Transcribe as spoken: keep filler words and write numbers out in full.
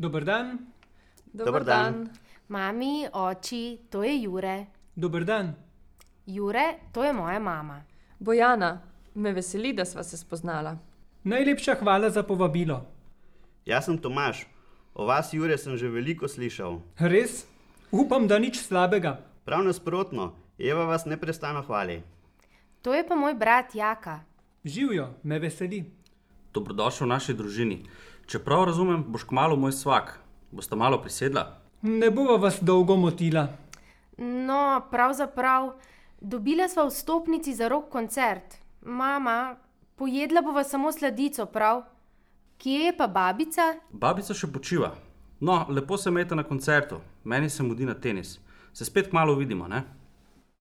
Dober dan. Dober dan. Mami, oči, to je Jure. Dober dan. Jure, to je moja mama. Bojana, me veseli, da sva se spoznala. Najlepša hvala za povabilo. Jaz sem Tomaž. O vas, Jure, sem že veliko slišal. Res? Upam, da nič slabega. Prav nasprotno, Eva vas neprestano hvali. To je pa moj brat Jaka. Živjo, me veseli. Dobrodošel v naši družini. Čeprav razumem, boš kmalu moj svak. Bosta malo prisedla? Ne bova vas dolgo motila. No, pravzaprav, dobila sva vstopnici za rock koncert. Mama, pojedla bova samo sladico, prav? Kje je pa babica? Babica še počiva. No, lepo se imejte na koncertu. Meni se mudi na tenis. Se spet kmalu vidimo, ne?